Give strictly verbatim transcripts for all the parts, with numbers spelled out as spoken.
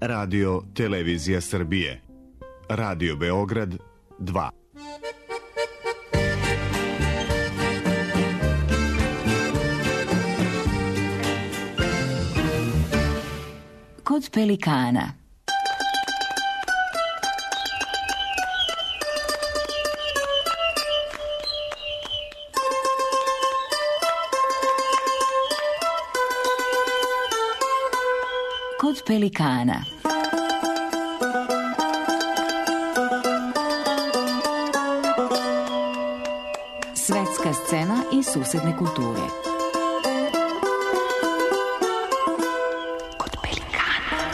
Radio Televizija Srbije. Radio Beograd dva. Kod pelikana. Kod pelikana. Svetska scena i susedne kulture. Kod pelikana.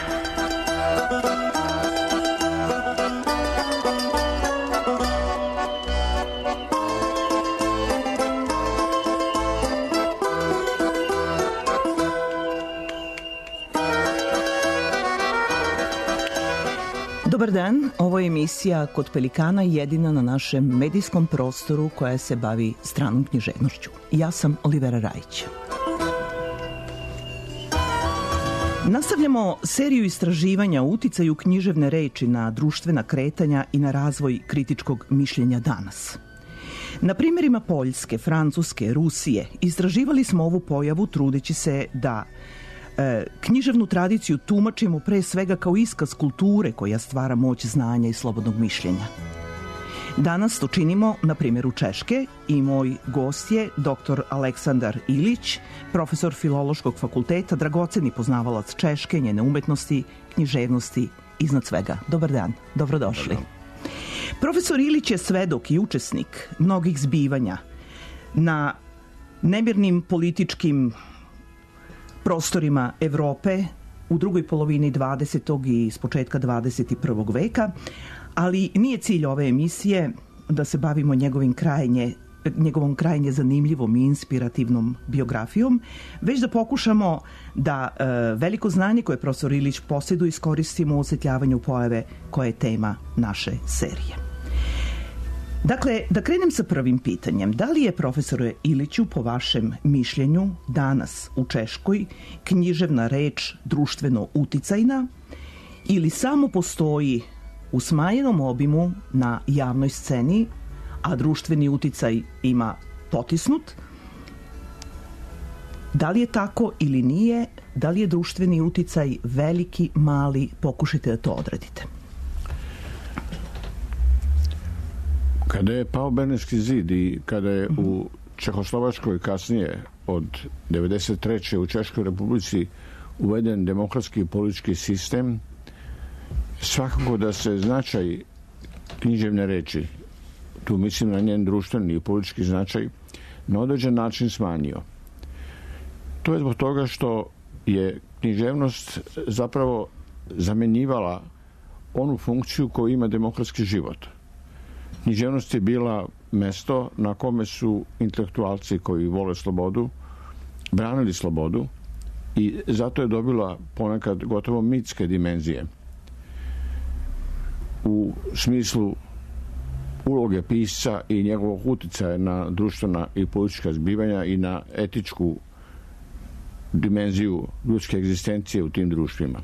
Dobar dan, ovo je emisija Kod pelikana, jedina na našem medijskom prostoru koja se bavi stranom književnošću. Ja sam Olivera Rajić. Nastavljamo seriju istraživanja o uticaju književne reči na društvena kretanja i na razvoj kritičkog mišljenja danas. Na primjerima Poljske, Francuske, Rusije istraživali smo ovu pojavu trudeći se da e, književnu tradiciju tumačimo pre svega kao iskaz kulture koja stvara moć znanja i slobodnog mišljenja. Danas to činimo na primjeru Češke i moj gost je doktor Aleksandar Ilić, profesor Filološkog fakulteta, dragoceni poznavalac Češke, njene umetnosti, književnosti, iznad svega. Dobar dan, dobrodošli. Dobar dan. Profesor Ilić je svedok i učesnik mnogih zbivanja na nemirnim političkim prostorima Evrope u drugoj polovini dvadesetog i s početka dvadeset prvog veka, ali nije cilj ove emisije da se bavimo njegovim krajnje, njegovom krajnje zanimljivom i inspirativnom biografijom, već da pokušamo da e, veliko znanje koje profesor Ilić posjeduje iskoristimo u osvetljavanju pojave koja je tema naše serije. Dakle, da krenem sa prvim pitanjem. Da li je, profesore Iliću, po vašem mišljenju, danas u Češkoj književna reč društveno uticajna ili samo postoji u smanjenom obimu na javnoj sceni, a društveni uticaj ima potisnut? Da li je tako ili nije? Da li je društveni uticaj veliki, mali? Pokušajte da to odradite. Kada je pao Berlinski zid i kada je u Čehoslovačkoj kasnije od devedeset treće u Češkoj Republici uveden demokratski politički sistem, svakako da se značaj književne reči, tu mislim na njen društveni i politički značaj, na određen način smanjio. To je zbog toga što je književnost zapravo zamenjivala onu funkciju koju ima demokratski život. Književnost je bila mesto na kome su intelektualci koji vole slobodu branili slobodu i zato je dobila ponekad gotovo mitske dimenzije u smislu uloge pisca i njegovog uticaja na društvena i politička zbivanja i na etičku dimenziju ljudske egzistencije u tim društvima.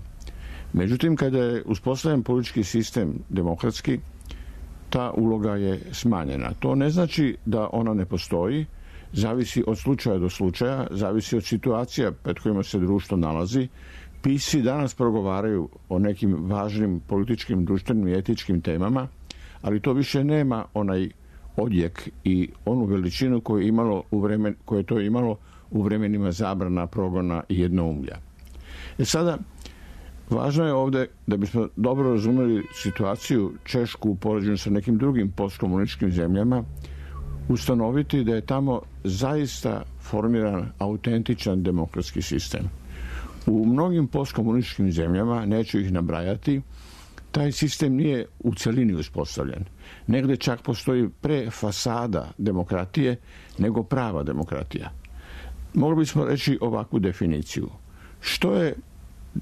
Međutim, kada je uspostavljen politički sistem demokratski, ta uloga je smanjena. To ne znači da ona ne postoji, zavisi od slučaja do slučaja, zavisi od situacija pred kojima se društvo nalazi. Pisci danas progovaraju o nekim važnim političkim, društvenim i etičkim temama, ali to više nema onaj odjek i onu veličinu koju je imalo u vremen, koje je to imalo u vremenima zabrana, progona i jednoumlja. E sada, važno je ovde, da bismo dobro razumeli situaciju Češku u poređenju sa nekim drugim postkomunističkim zemljama, ustanoviti da je tamo zaista formiran autentičan demokratski sistem. U mnogim postkomunističkim zemljama, neću ih nabrajati, taj sistem nije u celini uspostavljen. Negde čak postoji pre fasada demokratije nego prava demokratija. Mogli bismo reći ovakvu definiciju. Što je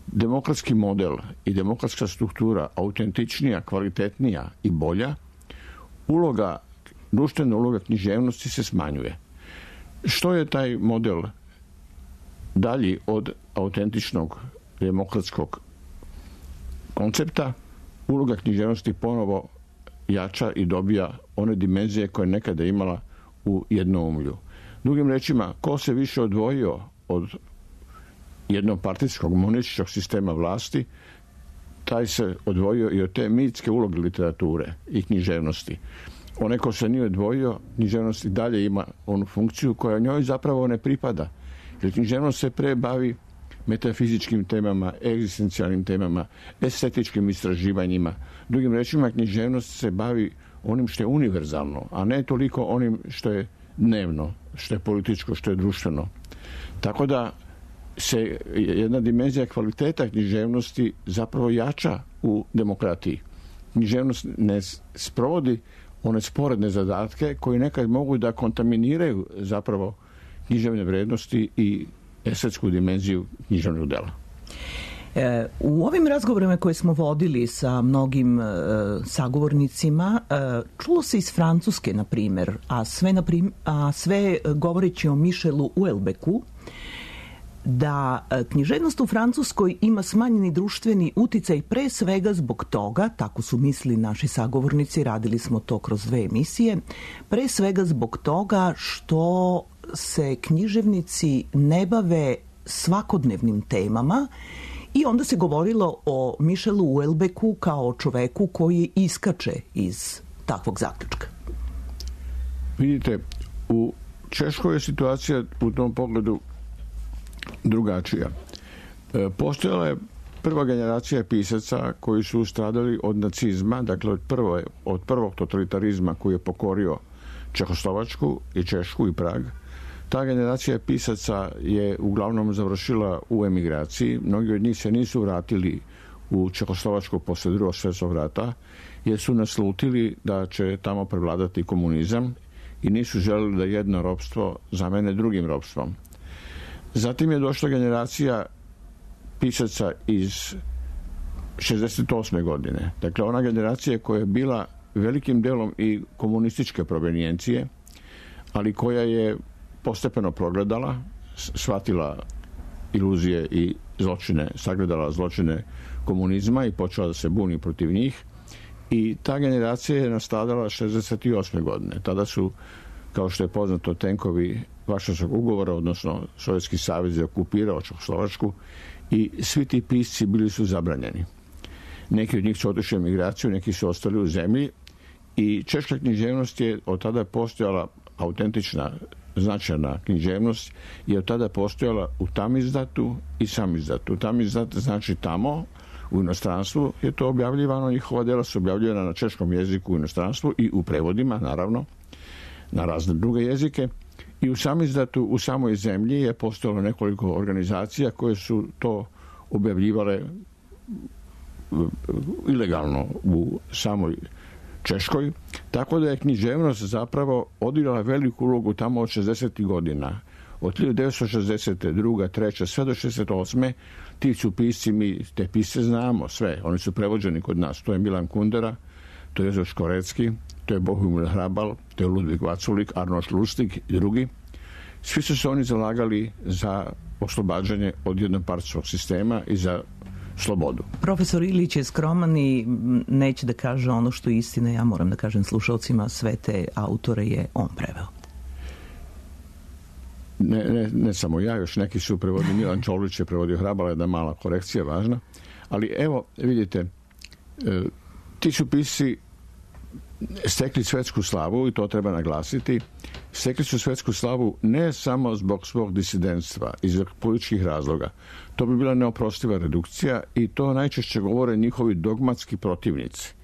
demokratski model i demokratska struktura autentičnija, kvalitetnija i bolja, uloga, društvena uloga književnosti se smanjuje. Što je taj model dalji od autentičnog demokratskog koncepta uloga književnosti ponovo jača i dobija one dimenzije koje je nekada imala u jednoumlju. Drugim rečima, ko se više odvojio od jednopartijskog monističkog sistema vlasti, taj se odvojio i od te mitske uloge literature i književnosti. Onaj ko se nije odvojio, književnost i dalje ima onu funkciju koja njoj zapravo ne pripada. Jer književnost se pre bavi metafizičkim temama, egzistencijalnim temama, estetičkim istraživanjima. Drugim rečima, književnost se bavi onim što je univerzalno, a ne toliko onim što je dnevno, što je političko, što je društveno. Tako da se jedna dimenzija kvaliteta književnosti zapravo jača u demokratiji. Književnost ne sprovodi one sporedne zadatke koji nekad mogu da kontaminiraju zapravo književne vrednosti i estetsku dimenziju književnog dela. E, u ovim razgovorima koje smo vodili sa mnogim e, sagovornicima, e, čulo se iz Francuske, na primjer, a sve, na prim, a sve govoreći o Michelu Houellebecqu, da književnost u Francuskoj ima smanjeni društveni uticaj pre svega zbog toga, tako su mislili naši sagovornici, radili smo to kroz dve emisije, pre svega zbog toga što se književnici ne bave svakodnevnim temama i onda se govorilo o Michelu Houellebecqu kao o čoveku koji iskače iz takvog zaključka. Vidite, u Češkoj je situacija u tom pogledu drugačija. Postojala je prva generacija pisaca koji su stradali od nacizma, dakle od, prvo, od prvog totalitarizma koji je pokorio Čehoslovačku i Češku i Prag. Ta generacija pisaca je uglavnom završila u emigraciji. Mnogi od njih se nisu vratili u Čehoslovačku posle Drugog svjetskog rata, jer su naslutili da će tamo prevladati komunizam i nisu želeli da jedno ropstvo zamene drugim ropstvom. Zatim je došla generacija pisaca iz šezdeset osme godine. Dakle, ona generacija koja je bila velikim delom i komunističke provenijencije, ali koja je postepeno progledala, shvatila iluzije i zločine, sagledala zločine komunizma i počela da se buni protiv njih. I ta generacija je nastradala šezdeset osme godine. Tada su, kao što je poznato, tenkovi Varšavskog ugovora, odnosno Sovjetski savez je okupirao Čehoslovačku i svi ti pisci bili su zabranjeni. Neki od njih su otišli u emigraciju, neki su ostali u zemlji i češka književnost je od tada postojala autentična, značajna književnost je od tada postojala u tamizdatu i samizdatu. Tamizdat znači tamo, u inostranstvu je to objavljivano, njihova dela su objavljivana na češkom jeziku u inostranstvu i u prevodima, naravno, na razne druge jezike. I u samizdatu, u samoj zemlji je postojalo nekoliko organizacija koje su to objavljivale ilegalno u samoj Češkoj, tako da je književnost zapravo odigrala veliku ulogu tamo od šezdesetih godina. Od hiljadu devetsto šezdeset druge, treće sve do šezdeset osme ti su pisci, mi te pisce znamo sve, oni su prevođeni kod nas. To je Milan Kundera, to je Jozef Škorecki, to je Bohumil Hrabal, to je Ludvig Vaculik, Arnošt Lustig i drugi. Svi su se oni zalagali za oslobađanje od jednopartijskog sistema i za slobodu. Profesor Ilić je skroman i neće da kaže ono što je istina. Ja moram da kažem slušalcima, sve te autore je on preveo. Ne, ne, ne samo ja, još neki su prevodili. Milan Čolić je prevodio Hrabala, jedna mala korekcija važna. Ali evo, vidite, ti su pisci stekli svetsku slavu i to treba naglasiti. Stekli su svetsku slavu ne samo zbog svog disidentstva i zbog političkih razloga. To bi bila neoprostiva redukcija i to najčešće govore njihovi dogmatski protivnici.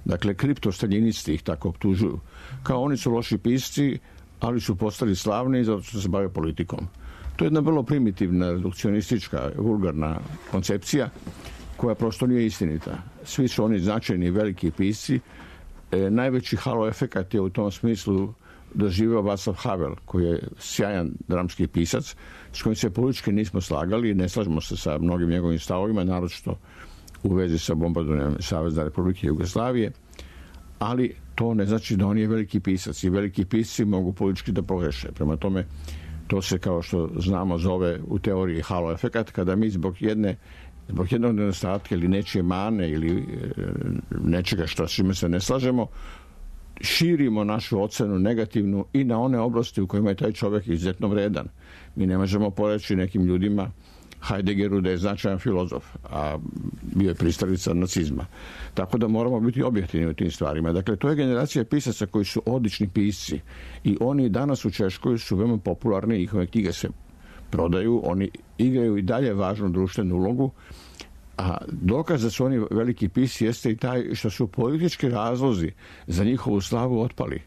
Dakle, kriptostaljinisti ih tako optužuju. Kao oni su loši pisci, ali su postali slavni i zato su se bave politikom. To je jedna vrlo primitivna, redukcionistička, vulgarna koncepcija koja prosto nije istinita. Svi su oni značajni veliki pisci. E, najveći halo efekat je u tom smislu doživio Václav Havel, koji je sjajan dramski pisac, s kojim se politički nismo slagali i ne slažemo se sa mnogim njegovim stavovima, naročito u vezi sa bombardovanjem Savezne Republike Jugoslavije, ali to ne znači da on je veliki pisac i veliki pisci mogu politički da pogreše. Prema tome, to se, kao što znamo, zove u teoriji halo efekat, kada mi zbog jedne zbog jednog nedostatka ili nečije mane ili nečega što s čime se ne slažemo, širimo našu ocenu negativnu i na one oblasti u kojima je taj čovjek izuzetno vredan. Mi ne možemo poreći nekim ljudima Heideggeru da je značajan filozof, a bio je pristalica nacizma. Tako da moramo biti objektivni u tim stvarima. Dakle, to je generacija pisaca koji su odlični pisci i oni danas u Češkoj su veoma popularni, njihove knjige se prodaju, oni igraju i dalje važnu društvenu ulogu, a dokaz da su oni veliki pisci jeste i taj što su politički razlozi za njihovu slavu otpali.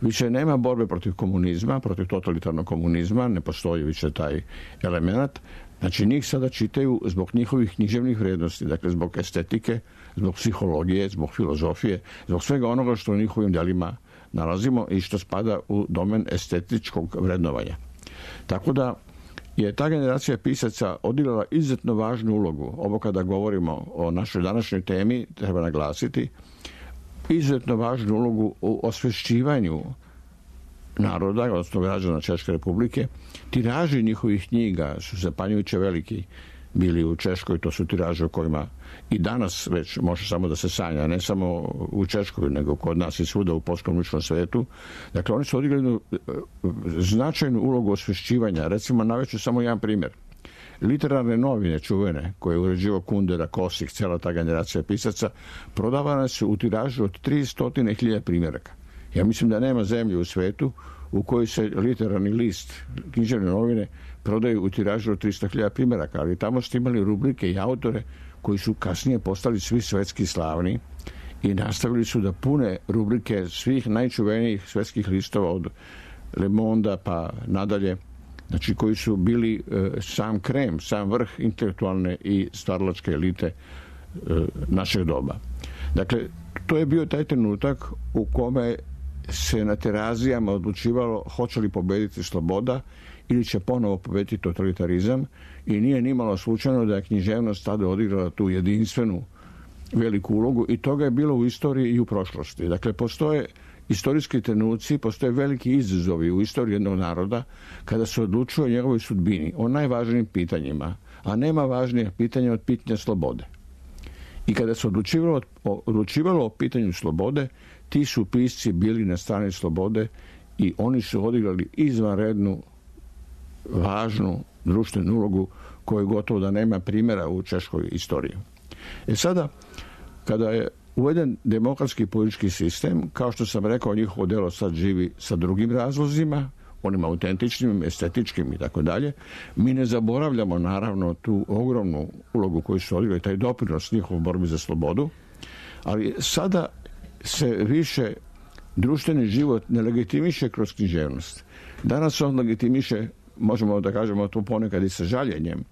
Više nema borbe protiv komunizma, protiv totalitarnog komunizma, ne postoji više taj element. Znači, njih sada čitaju zbog njihovih književnih vrijednosti, dakle zbog estetike, zbog psihologije, zbog filozofije, zbog svega onoga što u njihovim djelima nalazimo i što spada u domen estetičkog vrednovanja. Tako da je ta generacija pisaca odigrala izuzetno važnu ulogu. Ovo kada govorimo o našoj današnjoj temi, treba naglasiti, izuzetno važnu ulogu u osvješćivanju naroda, odnosno građana Češke republike. Tiraži njihovih knjiga su zapanjujuće veliki bili u Češkoj, to su tiraže o kojima i danas već može samo da se sanja, ne samo u Češkoj, nego kod nas i svuda u postkomunističkom svetu. Dakle, oni su odigrali značajnu ulogu osvješćivanja. Recimo, navešću samo jedan primjer. Literarne novine čuvene, koje je uređivao Kundera, Kosik, cijela ta generacija pisaca, prodavane su u tiražu od tristo hiljada primjeraka. Ja mislim da nema zemlje u svetu u kojoj se literarni list, književne novine, prodaju u tiražu od tristo hiljada primjeraka, ali tamo ste imali rubrike i autore koji su kasnije postali svi svetski slavni i nastavili su da pune rubrike svih najčuvenijih svetskih listova od Le Mondea pa nadalje, znači koji su bili e, sam krem, sam vrh intelektualne i stvaralačke elite e, našeg doba. Dakle, to je bio taj trenutak u kome se na terazijama odlučivalo hoće li pobediti sloboda ili će ponovo pobediti totalitarizam i nije nimalo slučajno da je književnost tada odigrala tu jedinstvenu veliku ulogu i toga je bilo u istoriji i u prošlosti. Dakle, postoje istorijski trenuci, postoje veliki izazovi u istoriji jednog naroda kada se odlučuje o njegovoj sudbini, o najvažnijim pitanjima, a nema važnije pitanja od pitanja slobode. I kada se odlučivalo, odlučivalo o pitanju slobode, ti su pisci bili na strani slobode i oni su odigrali izvanrednu, važnu društvenu ulogu koju gotovo da nema primjera u češkoj istoriji. E sada, kada je uveden demokratski politički sistem, kao što sam rekao, njihovo delo sad živi sa drugim razlozima, onim autentičnim, estetičkim i tako dalje. Mi ne zaboravljamo naravno tu ogromnu ulogu koju su odigrali, taj doprinos njihovu borbi za slobodu, ali sada se više društveni život ne legitimiše kroz književnost. Danas on legitimiše, možemo da kažemo to ponekad i sa žaljenjem,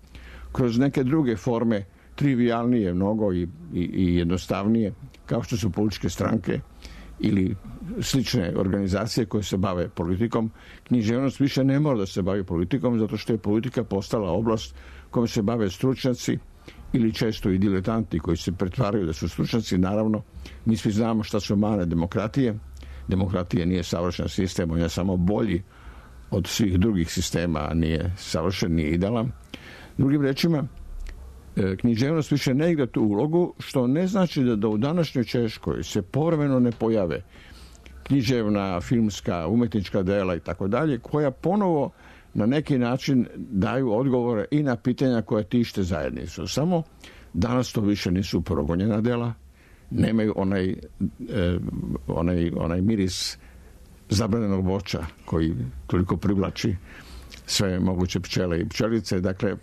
kroz neke druge forme, trivijalnije mnogo i, i, i jednostavnije, kao što su političke stranke ili slične organizacije koje se bave politikom. Književnost više ne mora da se bavi politikom, zato što je politika postala oblast kojom se bave stručnjaci ili često i diletanti koji se pretvaraju da su stručnjaci. Naravno, mi svi znamo šta su mane demokratije. Demokratija nije savršen sistem, on je samo bolji od svih drugih sistema, a nije savršen, nije idealan. Drugim rečima, književnost više ne igra tu ulogu, što ne znači da, da u današnjoj Češkoj se povremeno ne pojave književna, filmska, umetnička dela i tako dalje, koja ponovo na neki način daju odgovore i na pitanja koja tište zajednicu. Samo danas to više nisu progonjena dela, nemaju onaj, eh, onaj, onaj miris zabranjenog voća koji toliko privlači sve moguće pčele i pčelice. Dakle,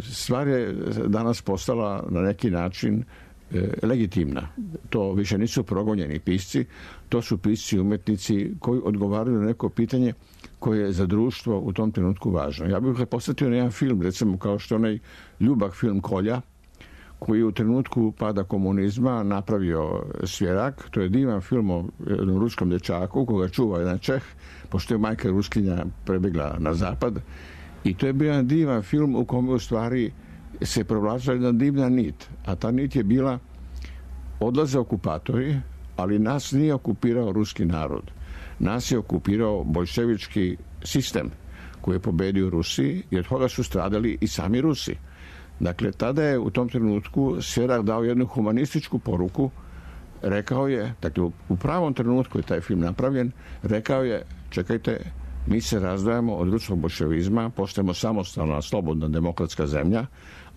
stvar je danas postala na neki način e, legitimna. To više nisu progonjeni pisci, to su pisci umetnici koji odgovaraju na neko pitanje koje je za društvo u tom trenutku važno. Ja bih posjetio na jedan film, recimo kao što onaj ljubak film Kolja, koji je u trenutku pada komunizma napravio Svjerak. To je divan film o jednom ruskom dječaku koga čuva jedan Čeh, pošto je majka Ruskinja prebjegla na zapad. I to je bio jedan divan film u kome u stvari se provlačila jedna divna nit. A ta nit je bila odlaze okupatori, ali nas nije okupirao ruski narod. Nas je okupirao boljševički sistem koji je pobedio Rusiji i od toga su stradali i sami Rusi. Dakle, tada je u tom trenutku Sjerak dao jednu humanističku poruku. Rekao je, dakle, u pravom trenutku je taj film napravljen, rekao je, čekajte, mi se razdvajamo od ruskog boljševizma, postajemo samostalna, slobodna, demokratska zemlja,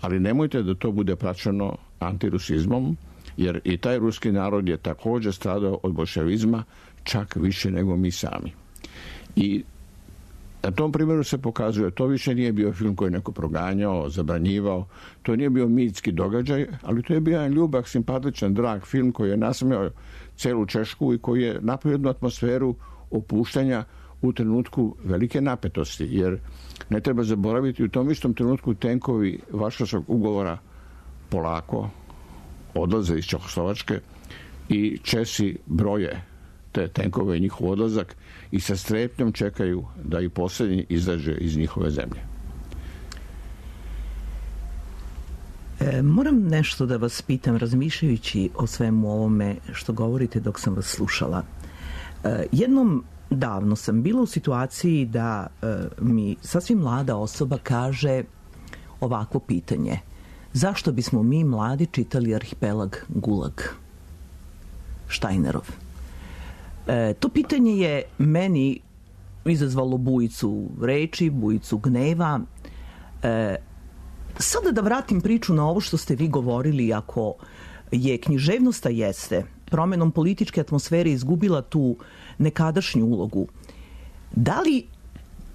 ali nemojte da to bude praćeno antirusizmom, jer i taj ruski narod je također stradao od boljševizma čak više nego mi sami. I na tom primjeru se pokazuje, to više nije bio film koji je neko proganjao, zabranjivao, to nije bio mitski događaj, ali to je bio jedan ljubak, simpatičan, drag film koji je nasmejao celu Češku i koji je napravio jednu atmosferu opuštanja u trenutku velike napetosti, jer ne treba zaboraviti, u tom istom trenutku tenkovi Varšavskog ugovora polako odlaze iz Čehoslovačke i Česi broje te tenkove i njihov odlazak i sa strepnjom čekaju da i posljednji izađe iz njihove zemlje. E, moram nešto da vas pitam, razmišljajući o svemu ovome što govorite dok sam vas slušala. E, jednom davno sam bila u situaciji da e, mi sasvim mlada osoba kaže ovakvo pitanje: zašto bismo mi mladi čitali Arhipelag Gulag Štajnerov? E, to pitanje je meni izazvalo bujicu reči, bujicu gneva. E, sada da vratim priču na ovo što ste vi govorili, ako je književnost, a jeste, promenom političke atmosfere izgubila tu nekadašnju ulogu, da li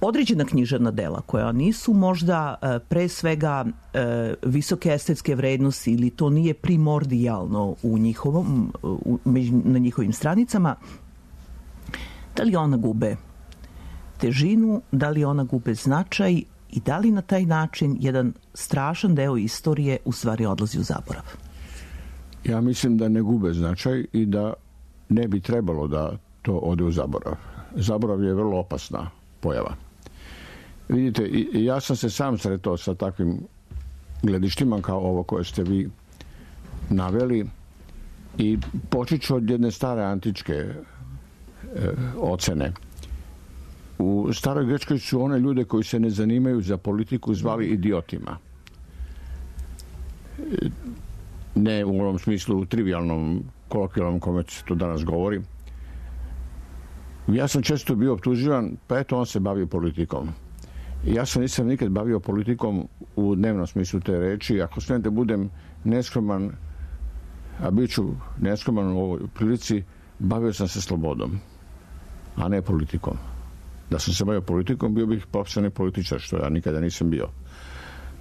određena književna dela koja nisu možda e, pre svega e, visoke estetske vrednosti ili to nije primordijalno u njihovom, u, na njihovim stranicama, da li ona gube težinu, da li ona gube značaj i da li na taj način jedan strašan deo istorije u stvari odlazi u zaborav? Ja mislim da ne gube značaj i da ne bi trebalo da to ode u zaborav. Zaborav je vrlo opasna pojava. Vidite, ja sam se sam sretao sa takvim gledištima kao ovo koje ste vi naveli i počet ću od jedne stare antičke e, ocene. U staroj Grčkoj su one ljude koji se ne zanimaju za politiku zvali idiotima. Ne u onom smislu trivialnom, kolokvijalnom kome se to danas govori. Ja sam često bio optuživan, pa eto on se bavio politikom. Ja se nisam nikad bavio politikom u dnevnom smislu te reči. Ako smijem da budem neskroman, a bit ću neskroman u ovoj prilici, bavio sam se slobodom, a ne politikom. Da sam se bavio politikom, bio bih profesionalni političar, što ja nikada nisam bio.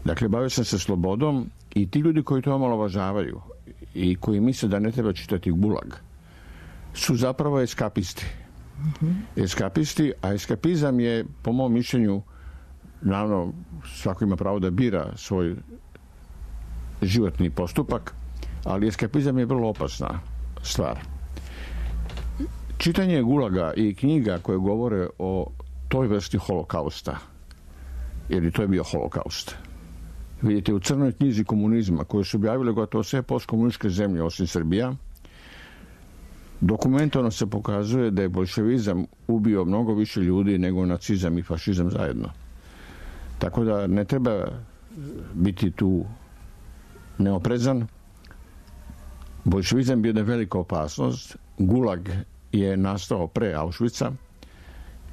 Dakle, bavio sam se slobodom i ti ljudi koji to omalovažavaju i koji misle da ne treba čitati Gulag su zapravo eskapisti. Mm-hmm. Eskapisti, a eskapizam je, po mom mišljenju, naravno, svako ima pravo da bira svoj životni postupak, ali eskapizam je vrlo opasna stvar. Čitanje Gulaga i knjiga koje govore o toj vrsti holokausta, jer i to je bio holokaust. Vidite, u crnoj knjizi komunizma, koju su objavile gotovo sve postkomunističke zemlje osim Srbija, dokumentovano se pokazuje da je bolševizam ubio mnogo više ljudi nego nacizam i fašizam zajedno. Tako da ne treba biti tu neoprezan. Bolševizam je jedna velika opasnost. Gulag je nastao pre Auschwitza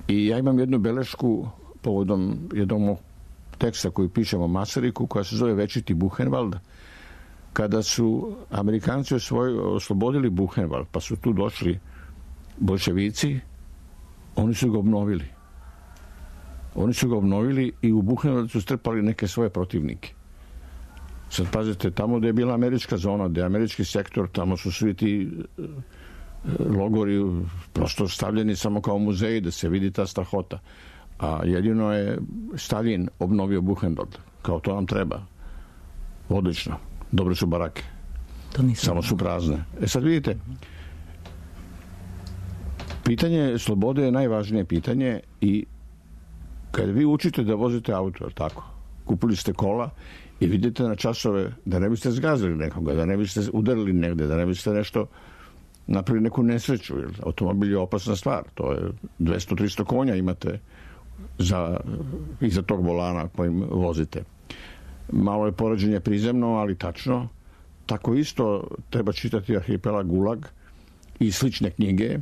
i ja imam jednu belešku povodom jednog teksta koji pišemo o Masariku, koja se zove Večiti Buchenwald. Kada su Amerikanci osvoj, oslobodili Buchenwald, pa su tu došli bolševici, oni su ga obnovili. Oni su ga obnovili i u Buchenwald su strpali neke svoje protivnike. Sad pazite, tamo gde je bila američka zona, gde je američki sektor, tamo su svi ti logori prosto stavljeni samo kao muzeji da se vidi ta strahota. A jedino je Stalin obnovio Buchenwald. Kao to nam treba. Odlično. Dobre su barake. Samo su prazne. E sad vidite, pitanje slobode je najvažnije pitanje i kad vi učite da vozite auto, tako, kupili ste kola i vidite na časove da ne biste zgazili nekoga, da ne biste udarili negde, da ne biste nešto napravili neku nesreću. Automobil je opasna stvar. To je dvesta do trista konja imate za, iza tog volana kojim vozite. malo je poređenje prizemno, ali tačno. Tako isto treba čitati Arhipelag Gulag i slične knjige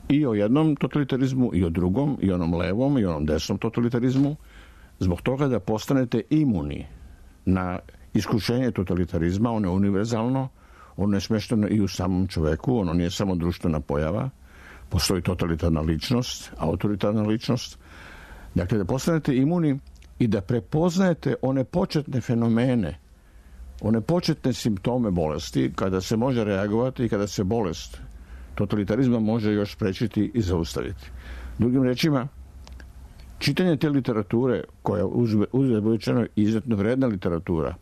i o jednom totalitarizmu, i o drugom, i onom levom, i onom desnom totalitarizmu, zbog toga da postanete imuni na iskušenje totalitarizma. Ono je univerzalno, ono je smešteno i u samom čoveku, ono nije samo društvena pojava, postoji totalitarna ličnost, autoritarna ličnost. Dakle, da postanete imuni i da prepoznajete one početne fenomene, one početne simptome bolesti, kada se može reagovati i kada se bolest totalitarizma može još sprečiti i zaustaviti. Drugim rečima, čitanje te literature, koja uzgled rečeno izuzetno vredna literatura,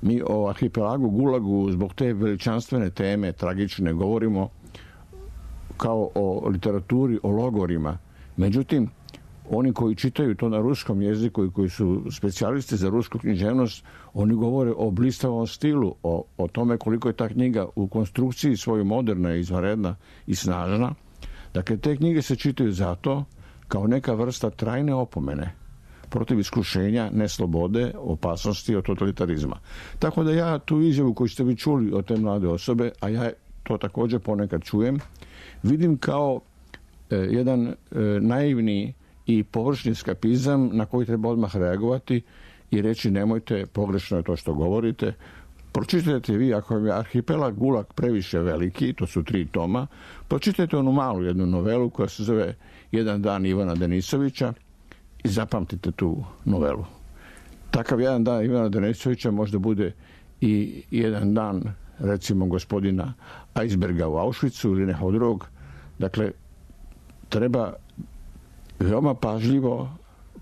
mi o Arhipelagu Gulagu zbog te veličanstvene teme, tragične, govorimo kao o literaturi, o logorima. Međutim, oni koji čitaju to na ruskom jeziku i koji su specijalisti za rusku književnost, oni govore o blistavom stilu, o, o tome koliko je ta knjiga u konstrukciji svojoj moderna, izvanredna i snažna. Dakle, te knjige se čitaju zato kao neka vrsta trajne opomene protiv iskušenja, neslobode, opasnosti od totalitarizma. Tako da ja tu izjavu koju ste vi čuli od te mlade osobe, a ja to također ponekad čujem, vidim kao e, jedan e, naivni i površni eskapizam na koji treba odmah reagovati i reći nemojte, pogrešno je to što govorite. Pročitajte vi, ako je Arhipelag Gulag previše veliki, to su tri toma, pročitajte onu malu jednu novelu koja se zove Jedan dan Ivana Denisovića i zapamtite tu novelu. Takav jedan dan Ivana Denisovića možda bude i jedan dan, recimo, gospodina Eisberga u Auschwitzu ili nekog drugog. Dakle, treba veoma pažljivo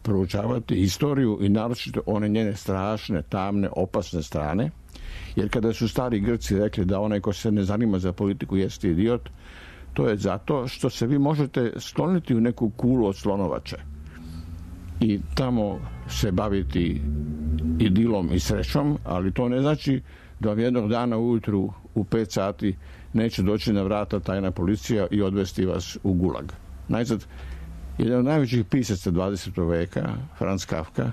proučavati istoriju i naročito one njene strašne, tamne, opasne strane, jer kada su stari Grci rekli da onaj ko se ne zanima za politiku jeste idiot, to je zato što se vi možete skloniti u neku kulu od slonovače i tamo se baviti idilom i srećom, ali to ne znači da vam jednog dana ujutru u pet sati neće doći na vrata tajna policija i odvesti vas u Gulag. Najzad, jedan od najvećih pisaca dvadesetog veka, Franz Kafka,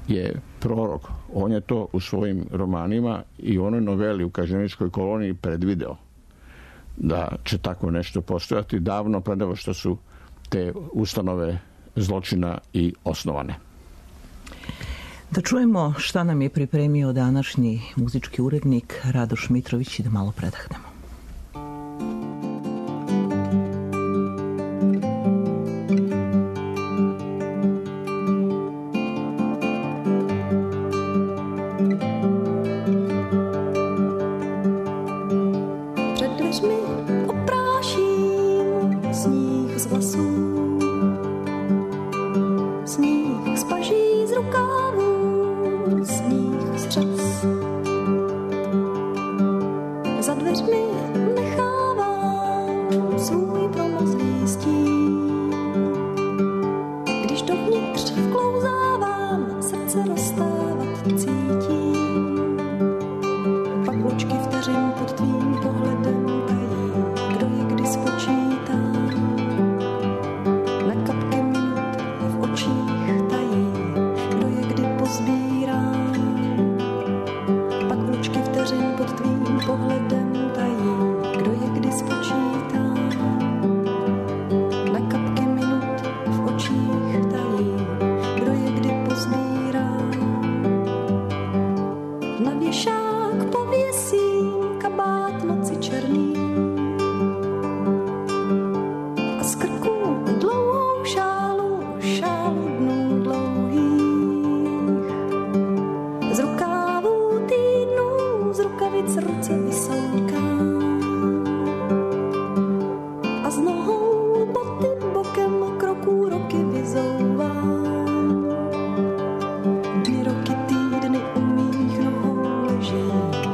je prorok. On je to u svojim romanima i u onoj noveli u kažnjeničkoj koloniji predvideo da će tako nešto postojati davno pre nego što su te ustanove zločina i osnovane. Da čujemo šta nam je pripremio današnji muzički urednik Radoš Mitrović i da malo predahnemo.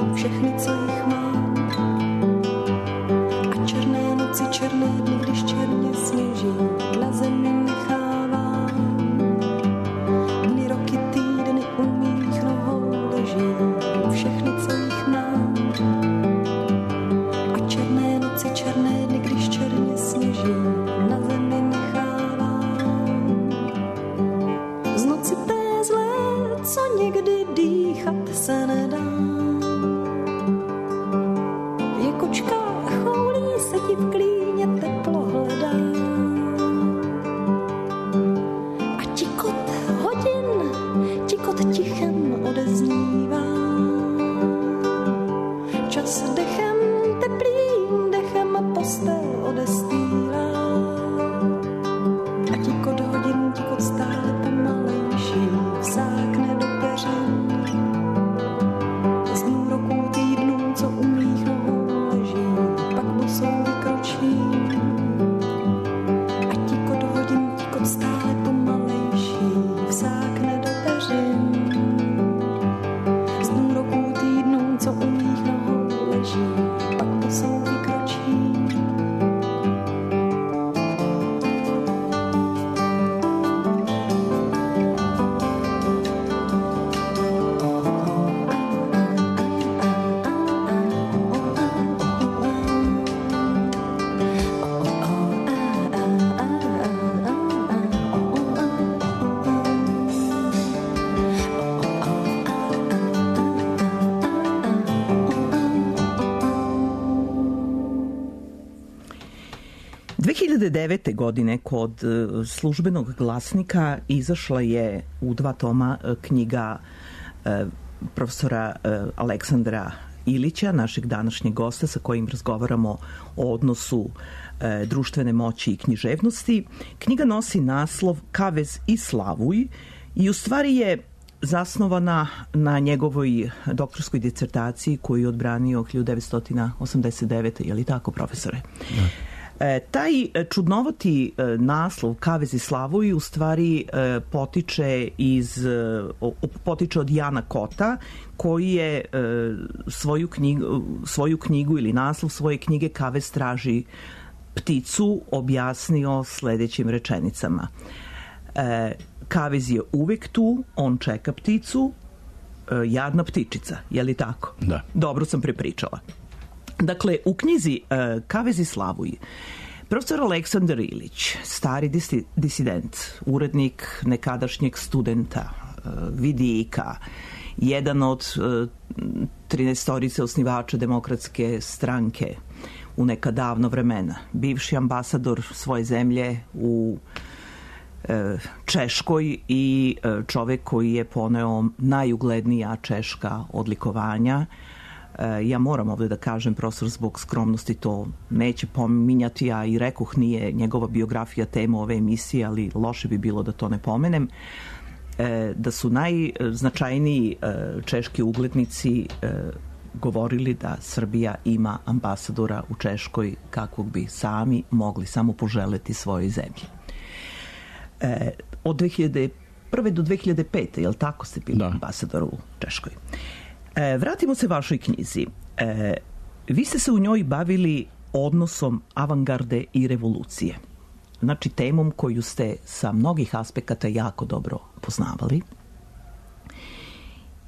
Všechny, co jich mám, ti v klíně teplo hledá. A tikot hodin, tikot tichem odeznívá. Čas dechem teplým, dechem postel odestýlá. A tikot hodin, tikot stále pomalejší, vsákne do peřin. Z dnů, roků, týdnů, co u mých nohou leží, pak bosou vykročí. A tikot hodin, tikot stále pomalejší, vsákne do peřin. Z dnů, roků, týdnů, co u mých nohou leží, pak bosou vykročí. dve hiljade devete. godine kod Službenog glasnika izašla je u dva toma knjiga profesora Aleksandra Ilića, našeg današnjeg gosta sa kojim razgovaramo o odnosu društvene moći i književnosti. Knjiga nosi naslov Kavez i Slavuj i u stvari je zasnovana na njegovoj doktorskoj disertaciji koju je odbranio hiljadu devetsto osamdeset devete. Je li tako, profesore? Da. E, taj čudnovati e, naslov Kavez i Slavuj u stvari e, potiče iz e, potiče od Jana Kota, koji je e, svoju knjigu, svoju knjigu ili naslov svoje knjige Kavez traži pticu objasnio sledećim rečenicama. E, Kavez je uvek tu, on čeka pticu, e, jadna ptičica, je li tako? Da. Dobro sam prepričala. Dakle, u knjizi uh, Kavez i Slavuj, profesor Aleksandar Ilić, stari disi, disident, urednik nekadašnjeg studenta, uh, vidika, jedan od uh, trinaestorice osnivača Demokratske stranke u neka davno vremena, bivši ambasador svoje zemlje u uh, Češkoj i uh, čovek koji je poneo najuglednija češka odlikovanja. Ja moram ovde da kažem, profesor, zbog skromnosti to neće pominjati, a i rekoh nije njegova biografija tema ove emisije, ali loše bi bilo da to ne pomenem, da su najznačajniji češki uglednici govorili da Srbija ima ambasadora u Češkoj kakvog bi sami mogli samo poželeti svojoj zemlji. Od dve hiljade prve do dve hiljade pete. je li tako ste bili da. ambasador u Češkoj? E, vratimo se vašoj knjizi. E, vi ste se u njoj bavili odnosom avangarde i revolucije. Znači, temom koju ste sa mnogih aspekata jako dobro poznavali.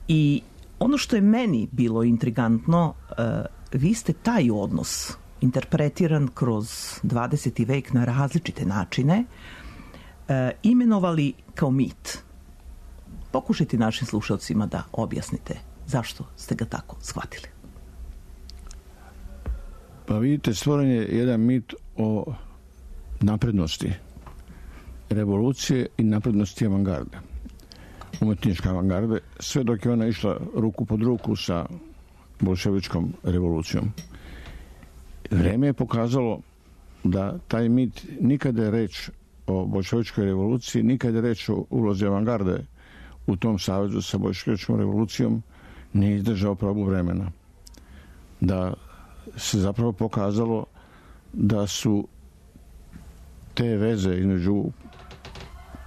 I ono što je meni bilo intrigantno, e, vi ste taj odnos interpretiran kroz dvadeseti vek na različite načine e, imenovali kao mit. Pokušajte našim slušalcima da objasnite zašto ste ga tako shvatili. Pa vidite, stvoren je jedan mit o naprednosti revolucije i naprednosti avangarde. Umetničke avangarde, sve dok je ona išla ruku pod ruku sa bolševičkom revolucijom. Vreme je pokazalo da taj mit, nikada je reč o bolševičkoj revoluciji, nikada je reč o ulozi avangarde u tom savezu sa bolševičkom revolucijom, nije izdržao probu vremena. Da se zapravo pokazalo da su te veze između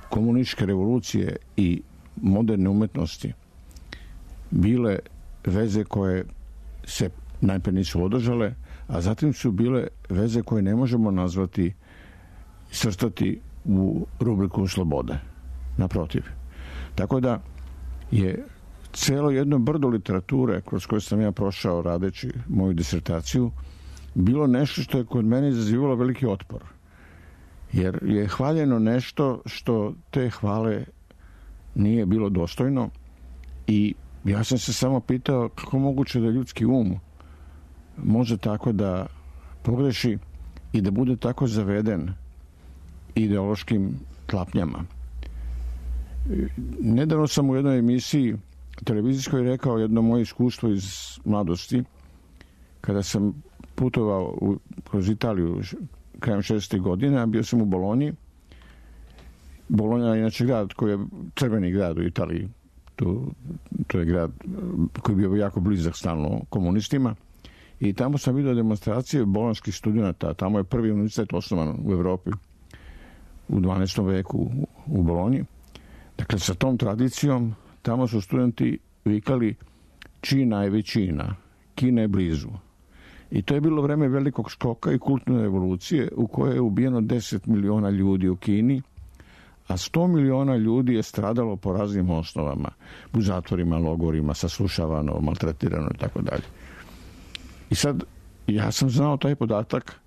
komunističke revolucije i moderne umetnosti bile veze koje se najpre nisu održale, a zatim su bile veze koje ne možemo nazvati, svrstati u rubriku slobode. Naprotiv. Tako da je celo jedno brdo literature kroz koje sam ja prošao radeći moju disertaciju bilo nešto što je kod mene izazivalo veliki otpor. Jer je hvaljeno nešto što te hvale nije bilo dostojno i ja sam se samo pitao kako moguće da ljudski um može tako da pogreši i da bude tako zaveden ideološkim tlapnjama. Nedavno sam u jednoj emisiji televizijskoj rekao jedno moje iskustvo iz mladosti, kada sam putovao u, kroz Italiju krajem šezdesetih godina, bio sam u Bolonji. Bolonja je inače grad koji je crveni grad u Italiji. To, to je grad koji je bio jako blizak stalno komunistima. I tamo sam vidio demonstracije bolonjskih studenta. Tamo je prvi univerzitet osnovan u Evropi u dvanaestom veku u Bolonji. Dakle, sa tom tradicijom tamo su studenti vikali Čina je većina, Kina je blizu. I to je bilo vreme velikog skoka i kulturne revolucije u kojoj je ubijeno deset miliona ljudi u Kini, a sto miliona ljudi je stradalo po raznim osnovama, u zatvorima, logorima, saslušavano, maltretirano i tako dalje. I sad, ja sam znao taj podatak,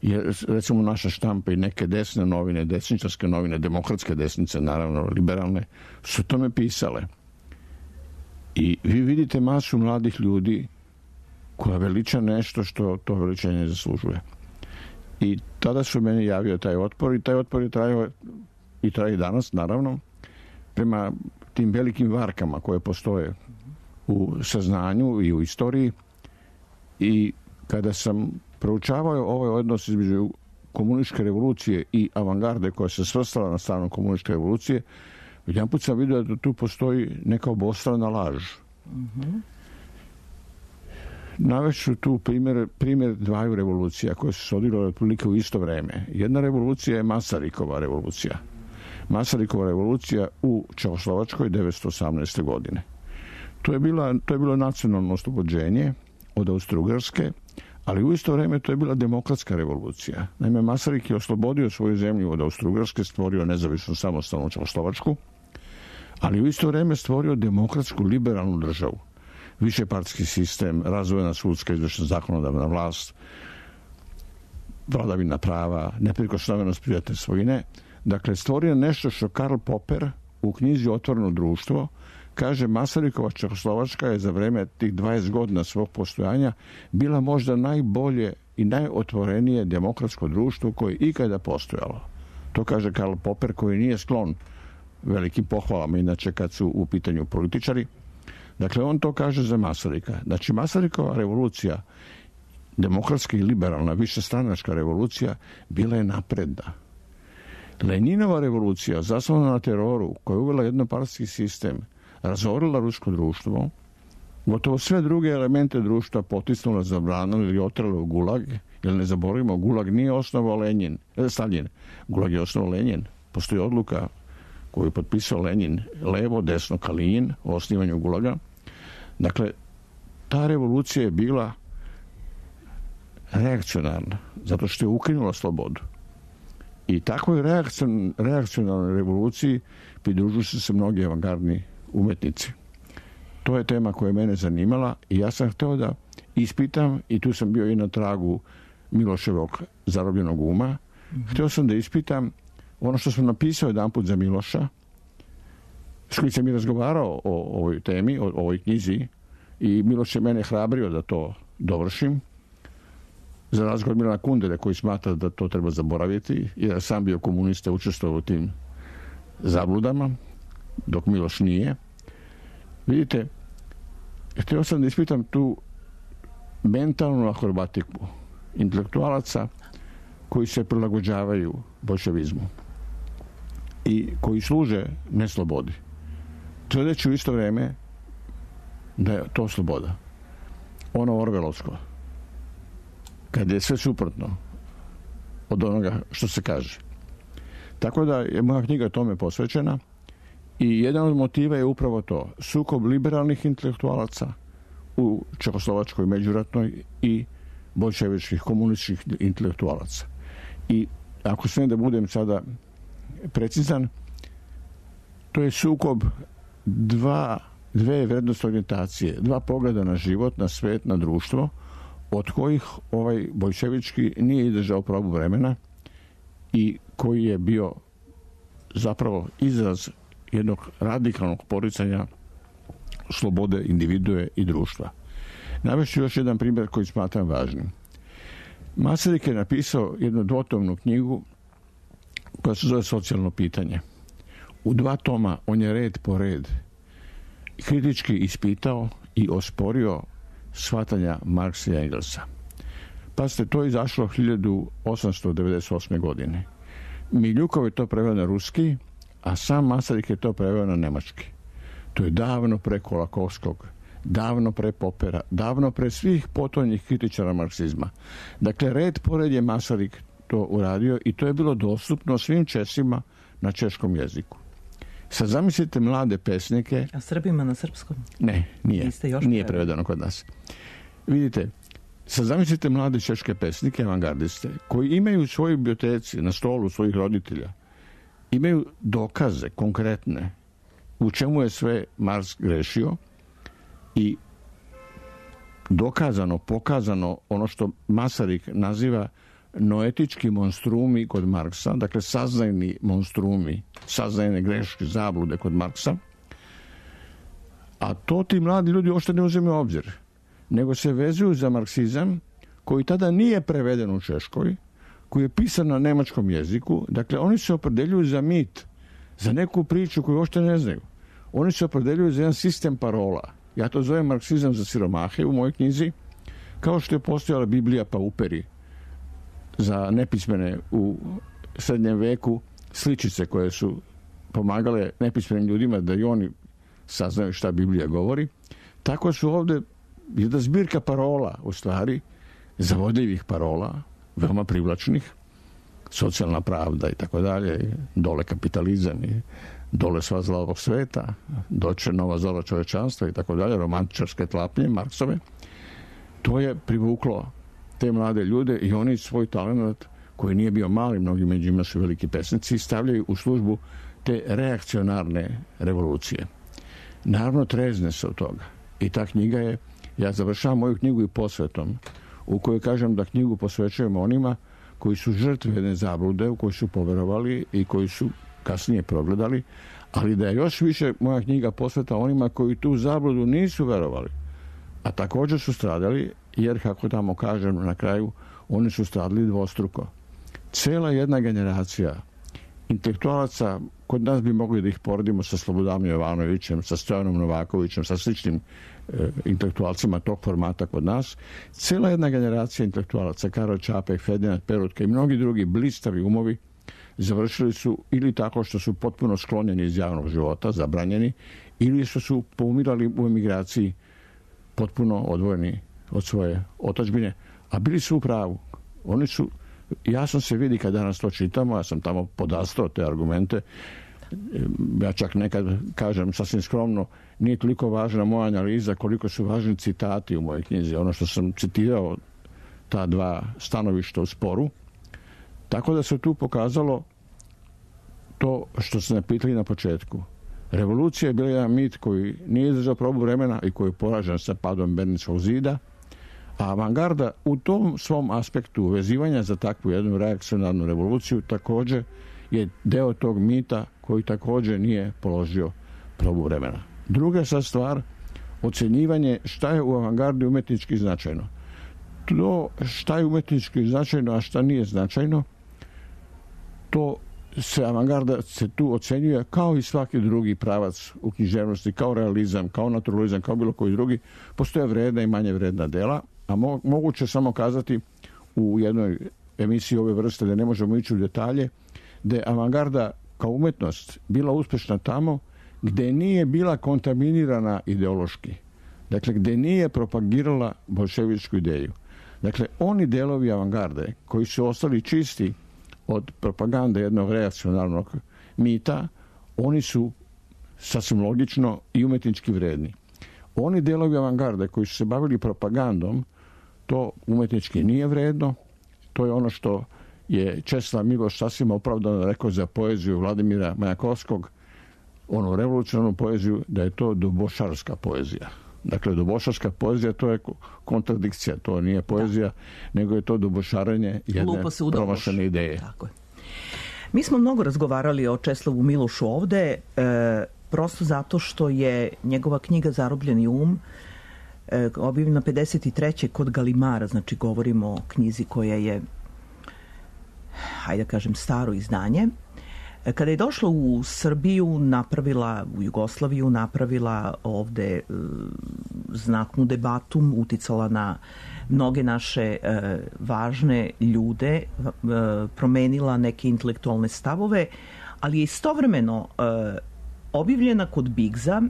jer recimo naša štampa i neke desne novine, desničarske novine, demokratske desnice, naravno liberalne, su tome pisale. I vi vidite masu mladih ljudi koja veliča nešto što to veličanje ne zaslužuje. I tada su meni javio taj otpor i taj otpor je trajao i traje i danas, naravno, prema tim velikim varkama koje postoje u saznanju i u istoriji. I kada sam proučavao ovaj odnos između komunističke revolucije i avangarde koja se svrstala na stranu komunističke revolucije, jedan put sam vidio da tu postoji neka obostrana laž. Mm-hmm. Navešću tu primjer, primjer dvaju revolucija koje su se odigrale otprilike u isto vreme. Jedna revolucija je Masarykova revolucija. Masarykova revolucija u Čehoslovačkoj devetsto osamnaeste. godine. To je, bila, to je bilo nacionalno oslobođenje od Austro-Ugarske, ali u isto vrijeme to je bila demokratska revolucija. Naime, Masaryk je oslobodio svoju zemlju od Austro-Ugarske, stvorio nezavisnu samostalnu Čehoslovačku, ali u isto vrijeme stvorio demokratsku liberalnu državu. Višepartijski sistem, razvojna sudska, izvršna zakonodavna vlast, vladavina prava, neprikosnovenost privatne svojine. Dakle, stvorio nešto što Karl Popper u knjizi Otvoreno društvo kaže: Masarykova Čehoslovačka je za vreme tih dvadeset godina svog postojanja bila možda najbolje i najotvorenije demokratsko društvo koje je ikada postojalo. To kaže Karl Popper, koji nije sklon velikim pohvalama, inače kad su u pitanju političari. Dakle, on to kaže za Masaryka. Znači, Masarykova revolucija, demokratska i liberalna, višestranačka revolucija, bila je napredna. Leninova revolucija, zasnovana na teroru, koja je uvela jednopartijski sistem, razorila rusko društvo, gotovo sve druge elemente društva potisnula, zabranila ili otrala u gulag, jer ne zaboravimo, gulag nije osnovao Lenin, eh, Stalin, gulag je osnovao Lenin. Postoji odluka koju je potpisao Lenin, levo, desno, Kalin, o osnivanju gulaga. Dakle, ta revolucija je bila reakcionarna, zato što je ukinula slobodu. I takvoj reakcion, reakcionarnoj revoluciji pridružuju se se mnogi avangardni umetnici. To je tema koja je mene zanimala i ja sam htio da ispitam, i tu sam bio i na tragu Miloševog Zarobljenog uma, mm-hmm. htio sam da ispitam ono što sam napisao jedan put za Miloša, s kojim sam i razgovarao o ovoj temi, o ovoj knjizi, i Miloš je mene hrabrio da to dovršim, za razgovor od Milana Kundere, koji smatra da to treba zaboraviti, jer sam bio komunista, učestvovao u tim zabludama, dok Miloš nije. Vidite, htio sam da ispitam tu mentalnu akrobatiku intelektualaca koji se prilagođavaju boljševizmu i koji služe neslobodi. Tvrdeći u isto vrijeme da je to sloboda. Ono orvelovsko. Kad je sve suprotno od onoga što se kaže. Tako da je moja knjiga tome posvećena i jedan od motiva je upravo to. Sukob liberalnih intelektualaca u Čehoslovačkoj međuratnoj i boljševičkih komunističkih intelektualaca. I ako smijem da budem sada precizan, to je sukob dva, dve vrednostne orijentacije, dva pogleda na život, na svet, na društvo, od kojih ovaj boljševički nije izdržao probu vremena i koji je bio zapravo izraz jednog radikalnog poricanja slobode individue i društva. Navešću još jedan primjer koji smatram važnim. Masaryk je napisao jednu dvotomnu knjigu koja se zove Socijalno pitanje. U dva toma on je red po red kritički ispitao i osporio shvatanja Marksa i Engelsa. Pa ste to izašlo hiljadu osamsto devedeset osme. godine. Miljukov je to preveo na ruski, a sam Masaryk je to preveo na nemački. To je davno pre Kolakowskog, davno pre Popera, davno pre svih potonjih kritičara marksizma. Dakle, red pored je Masaryk to uradio i to je bilo dostupno svim Česima na češkom jeziku. Sad zamislite mlade pesnike... A Srbima na srpskom? Ne, nije. Nije prevedeno kod nas. Vidite, sad zamislite mlade češke pesnike, avangardiste, koji imaju u svojoj biblioteci, na stolu svojih roditelja, imaju dokaze konkretne u čemu je sve Marks grešio i dokazano, pokazano ono što Masaryk naziva noetički monstrumi kod Marksa, dakle saznajni monstrumi, saznajne greške, zablude kod Marksa, a to ti mladi ljudi uopšte ne uzimaju u obzir, nego se vezuju za marksizam koji tada nije preveden u Češkoj, koji je pisan na nemačkom jeziku. Dakle, oni se opredeljuju za mit, za neku priču koju uopšte ne znaju. Oni se opredeljuju za jedan sistem parola. Ja to zovem marksizam za siromahe u mojoj knjizi, kao što je postojala Biblija pa uperi za nepismene u srednjem veku, sličice koje su pomagale nepismenim ljudima da i oni saznaju šta Biblija govori. Tako su ovde jedna zbirka parola, u stvari, zavodljivih parola, veoma privlačnih, socijalna pravda i tako dalje, dole kapitalizam i dole sva zla ovog sveta, doće nova zora čovečanstva i tako dalje, romantičarske tlapnje, Marksove. To je privuklo te mlade ljude i oni svoj talent, koji nije bio mali, mnogi među njima su veliki pesnici, stavljaju u službu te reakcionarne revolucije. Naravno, trezne se od toga. I ta knjiga je, ja završavam moju knjigu i posvetom, u kojoj kažem da knjigu posvećujemo onima koji su žrtve jedne zablude, u kojoj su poverovali i koji su kasnije progledali, ali da je još više moja knjiga posveta onima koji tu zabludu nisu verovali, a također su stradali, jer, kako tamo kažem na kraju, oni su stradali dvostruko. Cela jedna generacija intelektualaca, kod nas bi mogli da ih poredimo sa Slobodanom Jovanovićem, sa Stojanom Novakovićem, sa sličnim e, intelektualcima tog formata kod nas, cela jedna generacija intelektualaca, Karol Čapek, Ferdinand Perutka i mnogi drugi blistavi umovi, završili su ili tako što su potpuno sklonjeni iz javnog života, zabranjeni, ili što su poumirali u emigraciji potpuno odvojeni od svoje otadžbine, a bili su u pravu. Oni su, jasno se vidi kad danas to čitamo, ja sam tamo podastao te argumente, ja čak nekad kažem sasvim skromno, nije toliko važna moja analiza koliko su važni citati u mojoj knjizi, ono što sam citirao, ta dva stanovišta u sporu. Tako da se tu pokazalo to što ste napitali na početku. Revolucija je bila jedan mit koji nije izdržao probu vremena i koji je poražen sa padom Berlinskog zida, a avangarda u tom svom aspektu vezivanja za takvu jednu reakcionarnu revoluciju također je deo tog mita koji također nije položio probu vremena. Druga sad stvar, ocjenjivanje šta je u avangardi umetnički značajno. To šta je umetnički značajno, a šta nije značajno, to se avangarda se tu ocenjuje kao i svaki drugi pravac u književnosti, kao realizam, kao naturalizam, kao bilo koji drugi. Postoje vredna i manje vredna dela, a mo- moguće samo kazati u jednoj emisiji ove vrste, da ne možemo ići u detalje, da je avangarda kao umetnost bila uspešna tamo gde nije bila kontaminirana ideološki. Dakle, gde nije propagirala bolševičku ideju. Dakle, oni delovi avangarde koji su ostali čisti od propagande jednog reakcionarnog mita, oni su sasvim logično i umetnički vredni. Oni delovi avangarde koji su se bavili propagandom, to umetnički nije vredno. To je ono što je Česlav Miloš sasvim opravdano rekao za poeziju Vladimira Majakovskog, onu revolucionarnu poeziju, da je to dubošarska poezija. Dakle, dubošarska poezija, to je kontradikcija, to nije poezija, da, nego je to dubošarenje jedne promašene ideje. Tako je. Mi smo mnogo razgovarali o Česlavu Milošu ovde, e, prosto zato što je njegova knjiga Zarobljeni um e, objavljena pedeset treće kod Galimara, znači govorimo o knjizi koja je, hajde da kažem, staro izdanje. E, kada je došla u Srbiju, napravila, u Jugoslaviju, napravila ovde e, znatnu debatu, uticala na mnoge naše e, važne ljude, e, promenila neke intelektualne stavove, ali je istovremeno e, objavljena kod Bigza.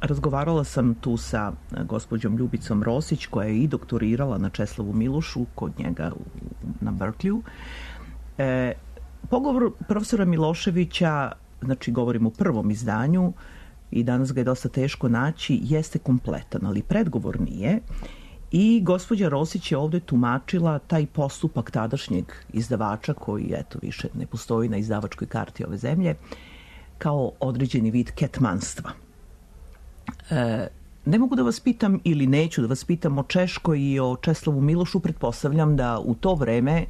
Razgovarala sam tu sa gospođom Ljubicom Rosić, koja je i doktorirala na Česlavu Milošu kod njega u, na Berkeleyu. E, pogovor profesora Miloševića, znači govorim o prvom izdanju i danas ga je dosta teško naći, jeste kompletan, ali predgovor nije. I gospođa Rosić je ovde tumačila taj postupak tadašnjeg izdavača, koji eto više ne postoji na izdavačkoj karti ove zemlje, kao određeni vid ketmanstva. E, ne mogu da vas pitam ili neću da vas pitam o Češkoj i o Česlavu Milošu. Pretpostavljam da u to vreme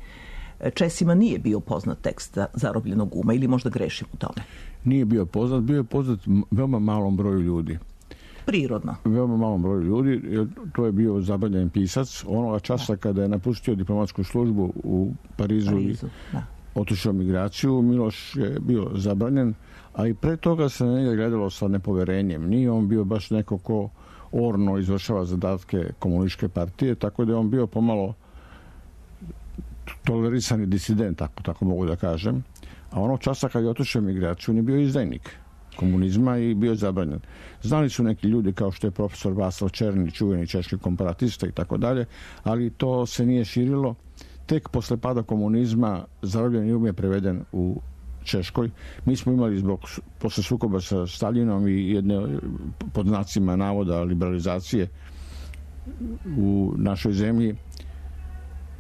Česima nije bio poznat tekst Zarobljenog uma, ili možda grešim u tome? Nije bio poznat, bio je poznat veoma malom broju ljudi. Prirodno. Veoma malom broju ljudi, jer to je bio zabavljen pisac. Onoga časa da. kada je napustio diplomatsku službu u Parizu, Parizu i da. otišao migraciju, Miloš je bio zabranjen, a i pre toga se na njega gledalo sa nepoverenjem. Nije on bio baš neko ko orno izvršava zadatke komunističke partije, tako da je on bio pomalo tolerisani disident, tako, tako mogu da kažem. A onog časa kad je otišao migraciju, on je bio izdajnik komunizma i bio zabranjen. Znali su neki ljudi kao što je profesor Vaslav Černi, čuveni češki komparatista i tako dalje, ali to se nije širilo. Tek posle pada komunizma Zarobljeni um je preveden u Češkoj. Mi smo imali zbog posle sukoba sa Staljinom i jedne pod znacima navoda liberalizacije u našoj zemlji,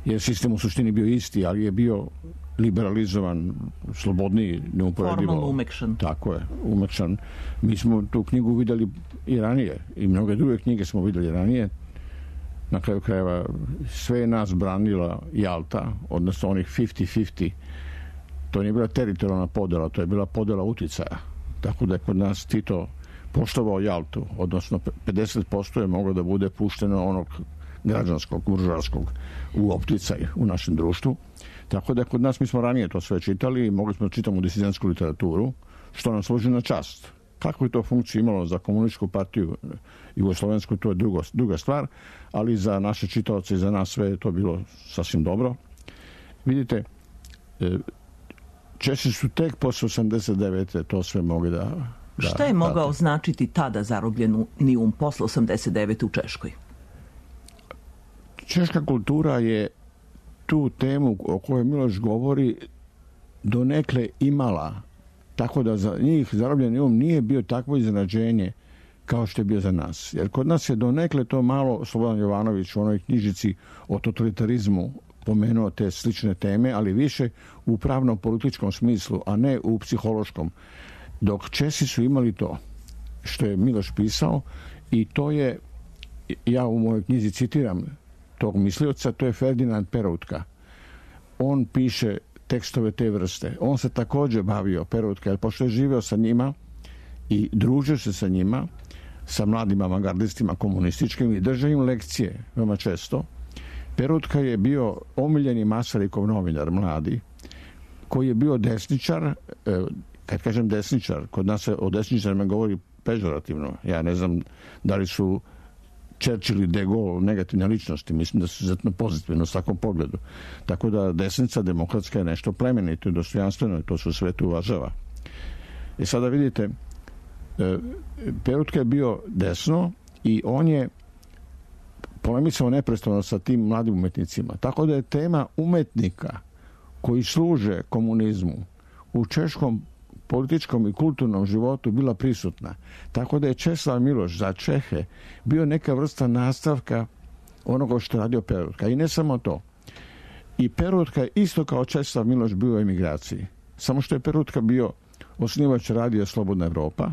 jer sistem u suštini bio isti, ali je bio liberalizovan, slobodniji, neuporedivo. Formalno umekšan. Tako je, umekšan. Mi smo tu knjigu videli i ranije i mnoge druge knjige smo videli ranije. Na kraju krajeva sve je nas branila Jalta, odnosno onih pedeset pedeset. To nije bila teritorijalna podela, to je bila podela uticaja. Tako da je kod nas Tito poštovao Jaltu, odnosno pedeset posto je moglo da bude pušteno onog građanskog, buržoarskog u opticaj u našem društvu. Tako da kod nas, mi smo ranije to sve čitali i mogli smo da čitamo disidentsku literaturu, što nam služi na čast. Kako je to funkciju imalo za komunističku partiju jugoslovensku, to je drugo, druga stvar, ali za naše čitaoce i za nas sve je to bilo sasvim dobro. Vidite, Česi su tek posle osamdeset devete to sve mogli da... da Šta je mogao dati. Značiti tada Zarobljeni um posle osamdeset devete u Češkoj? Češka kultura je tu temu o kojoj Miloš govori donekle imala, tako da za njih Zarobljeni um nije bio takvo iznenađenje kao što je bio za nas. Jer kod nas je donekle to malo Slobodan Jovanović u onoj knjižici o totalitarizmu pomenuo te slične teme, ali više u pravno-političkom smislu, a ne u psihološkom. Dok Česi su imali to što je Miloš pisao, i to je, ja u mojoj knjizi citiram tog mislioca, to je Ferdinand Peroutka. On piše tekstove te vrste. On se također bavio Peroutka, jer pošto je živeo sa njima i družio se sa njima, sa mladim avangardistima komunističkim i držao im lekcije veoma često. Peroutka je bio omiljeni Masarikov novinar, mladi, koji je bio desničar. Kad kažem desničar, kod nas se o desničarima govori pežorativno. Ja ne znam da li su Churchill i De Gaulle negativne ličnosti, mislim da su izuzetno pozitivno u svakom pogledu. Tako da desnica demokratska je nešto plemenito i dostojanstveno i to se u svetu uvažava. I sada vidite, Peroutka je bio desno i on je polemisao neprestano sa tim mladim umetnicima. Tako da je tema umetnika koji služe komunizmu u češkom političkom i kulturnom životu bila prisutna. Tako da je Česlav Miloš za Čehe bio neka vrsta nastavka onoga što je radio Peroutka. I ne samo to. I Peroutka isto kao Česlav Miloš bio u emigraciji. Samo što je Peroutka bio osnivač radija Slobodna Evropa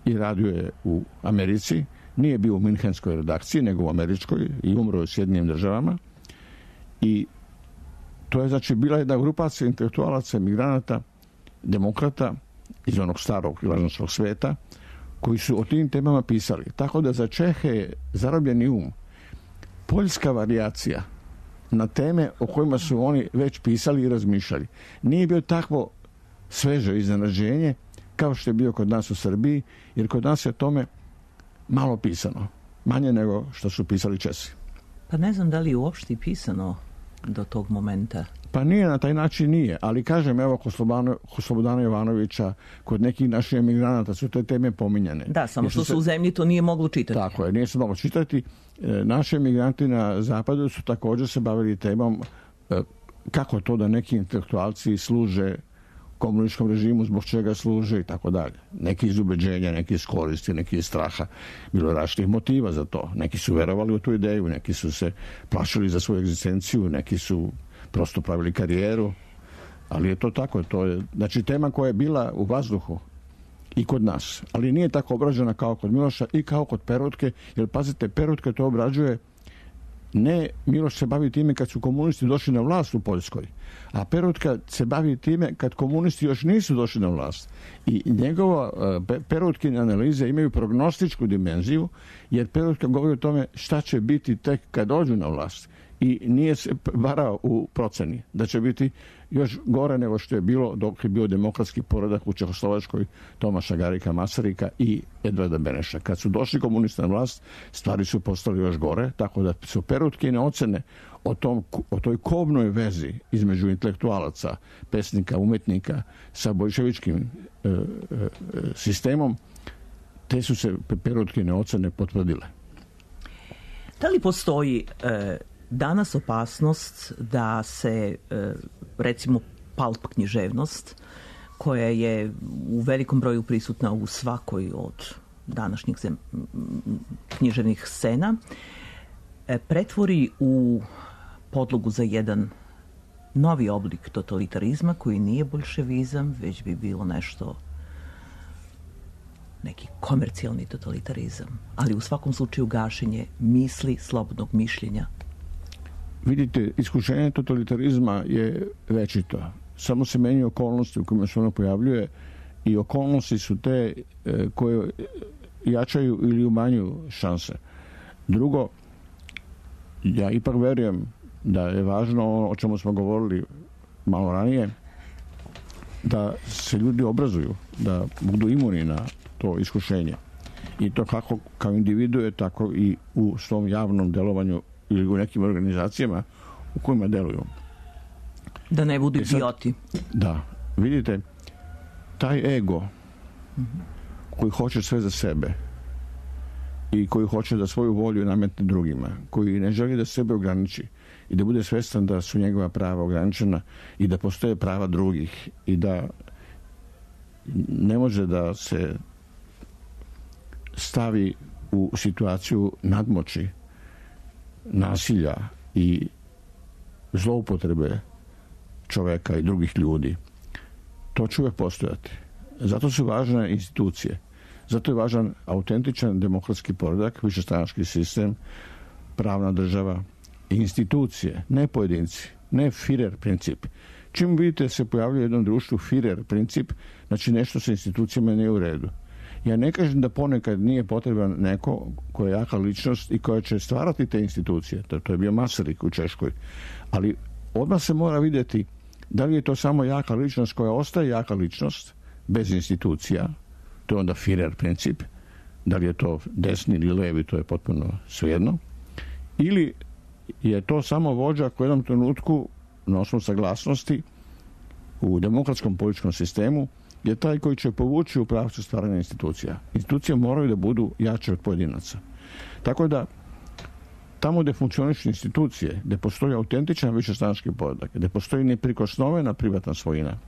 i radio je u Americi. Nije bio u minhenskoj redakciji, nego u američkoj i umro je u Sjedinjenim državama. I to je znači bila jedna grupacija intelektualaca, emigranata, demokrata iz onog starog i lažnostnog sveta, koji su o tim temama pisali. Tako da za Čehe je Zarobljeni um poljska varijacija na teme o kojima su oni već pisali i razmišljali. Nije bio takvo sveže iznenađenje kao što je bio kod nas u Srbiji, jer kod nas je tome malo pisano. Manje nego što su pisali Česi. Pa ne znam da li je uopšte pisano do tog momenta. Pa nije, na taj način nije, ali kažem, evo, kod Slobodana, kod Slobodana Jovanovića, kod nekih naših emigranata su te teme pominjane. Da, samo što se su u zemlji to nije moglo čitati. Tako je, nije se moglo čitati. E, naši emigranti na zapadu su također se bavili temom e, kako to da neki intelektualci služe komunističkom režimu, zbog čega služe i tako dalje. Neki iz ubeđenja, neki iz koristi, neki iz straha. Bilo je različitih motiva za to. Neki su verovali u tu ideju, neki su se plašili za svoju egzistenciju, neki su prosto pravili karijeru, ali je to tako. To je, znači, tema koja je bila u vazduhu i kod nas, ali nije tako obrađena kao kod Miloša i kao kod Perutke, jer pazite, Perutke to obrađuje, ne, Miloš se bavi time kad su komunisti došli na vlast u Poljskoj, a Perutka se bavi time kad komunisti još nisu došli na vlast. I njegova Perutkine analize imaju prognostičku dimenziju, jer Perutka govori o tome šta će biti tek kad dođu na vlast. I nije se varao u proceni da će biti još gore nego što je bilo dok je bio demokratski poredak u Čehoslovačkoj Tomaša Garika Masarika i Edvarda Beneša. Kad su došli komunisti na vlast, stvari su postale još gore, tako da su Perutkine ocene o, tom, o toj kobnoj vezi između intelektualaca, pesnika, umetnika sa bolševičkim e, e, sistemom, te su se Perutkine ocene potvrdile. Da li postoji e, danas opasnost da se, e, recimo, pulp književnost, koja je u velikom broju prisutna u svakoj od današnjih zem, književnih scena, e, pretvori u podlogu za jedan novi oblik totalitarizma koji nije boljševizam, već bi bilo nešto, neki komercijalni totalitarizam, ali u svakom slučaju gašenje misli, slobodnog mišljenja. Vidite, iskušenje totalitarizma je večito. Samo se menjaju okolnosti u kojima se ono pojavljuje i okolnosti su te e, koje jačaju ili umanjuju šanse. Drugo, ja ipak verujem da je važno ono o čemu smo govorili malo ranije, da se ljudi obrazuju, da budu imuni na to iskušenje. I to kako kao individue, tako i u svom javnom delovanju ili u nekim organizacijama u kojima deluju. Da ne budu idioti. Da. Vidite, taj ego mm-hmm. koji hoće sve za sebe i koji hoće da svoju volju nametne drugima, koji ne želi da sebe ograniči i da bude svestan da su njegova prava ograničena i da postoje prava drugih i da ne može da se stavi u situaciju nadmoći, nasilja i zloupotrebe čoveka i drugih ljudi. To će uvijek postojati. Zato su važne institucije. Zato je važan autentičan demokratski poredak, višestranački sistem, pravna država i institucije, ne pojedinci, ne Führer princip. Čim vidite se pojavljuje u jednom društvu Führer princip, znači nešto sa institucijama nije u redu. Ja ne kažem da ponekad nije potreban neko koja je jaka ličnost i koja će stvarati te institucije. To, to je bio Masaryk u Češkoj. Ali odmah se mora vidjeti da li je to samo jaka ličnost koja ostaje jaka ličnost bez institucija. To je onda Führer princip. Da li je to desni ili levi, to je potpuno svejedno. Ili je to samo vođa koji u jednom trenutku na osnovu saglasnosti u demokratskom političkom sistemu je taj koji će povući u pravcu stvaranja institucija. Institucije moraju da budu jače od pojedinaca. Tako da, tamo gde funkcionišu institucije, gde postoji autentičan višestranački poredak, gde postoji neprikosnovena privatna svojina,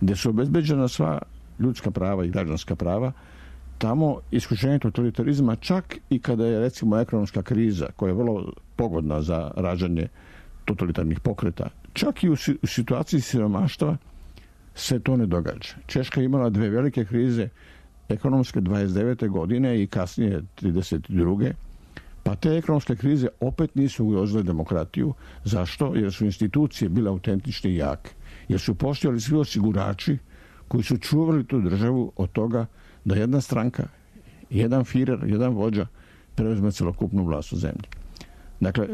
gde su obezbeđena sva ljudska prava i građanska prava, tamo iskušenje totalitarizma, čak i kada je, recimo, ekonomska kriza, koja je vrlo pogodna za rađanje totalitarnih pokreta, čak i u situaciji siromaštva se to ne događa. Češka je imala dve velike krize, ekonomske dvadeset devete godine i kasnije trideset druge Pa te ekonomske krize opet nisu ugrozile demokratiju. Zašto? Jer su institucije bile autentične i jake. Jer su postojali svi osigurači koji su čuvali tu državu od toga da jedna stranka, jedan Führer, jedan vođa preuzme celokupnu vlast u zemlji. Dakle,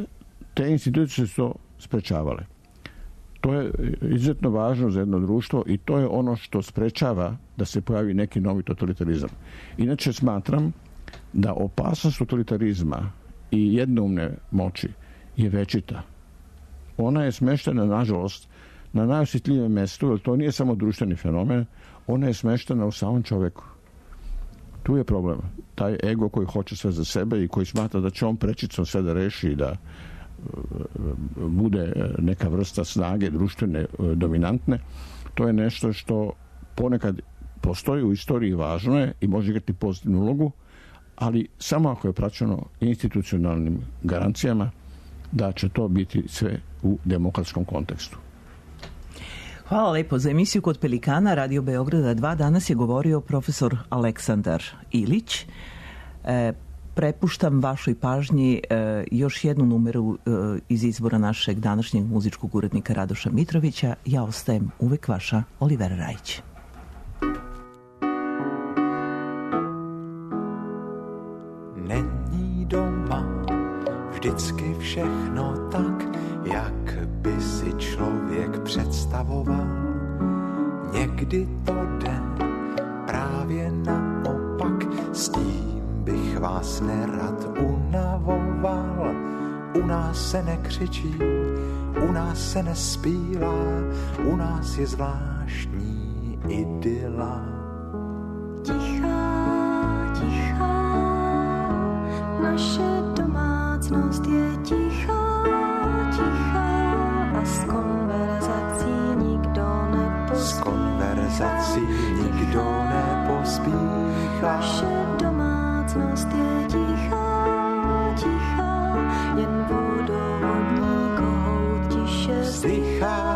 te institucije su to sprečavale. To je izuzetno važno za jedno društvo i to je ono što sprečava da se pojavi neki novi totalitarizam. Inače smatram da opasnost totalitarizma i jednoumne moći je večita. Ona je smeštena, nažalost, na najosjetljivijem mjestu, jer to nije samo društveni fenomen, ona je smeštena u samom čovjeku. Tu je problem. Taj ego koji hoće sve za sebe i koji smatra da će on prečicom sve da reši i da bude neka vrsta snage društvene dominantne, to je nešto što ponekad postoji u istoriji, važno je i može igrati pozitivnu ulogu, ali samo ako je praćeno institucionalnim garancijama da će to biti sve u demokratskom kontekstu. Hvala lepo. Za emisiju Kod Pelikana Radio Beograda dva danas je govorio profesor Aleksandar Ilić. E, prepuštam vašoj pažnji e, još jednu numeru e, iz izbora našeg današnjeg muzičkog urednika Radoša Mitrovića. Ja ostajem uvek vaša Olivera Rajić. Není doma vždycky všechno tak, jak by si člověk představoval. Někdy to jde právě naopak, s tím bych vás nerad unavoval. U nás se nekřičí, u nás se nespívá, u nás je zvláštní idyla. Tichá, tichá, naše domácnost je tichá, tichá a z konverzací nikdo nepospíchá. Z konverzací nikdo nepospíchá. Naše domácnost je tichá, tichá, jen vodovodní kohout tiše vzdychá.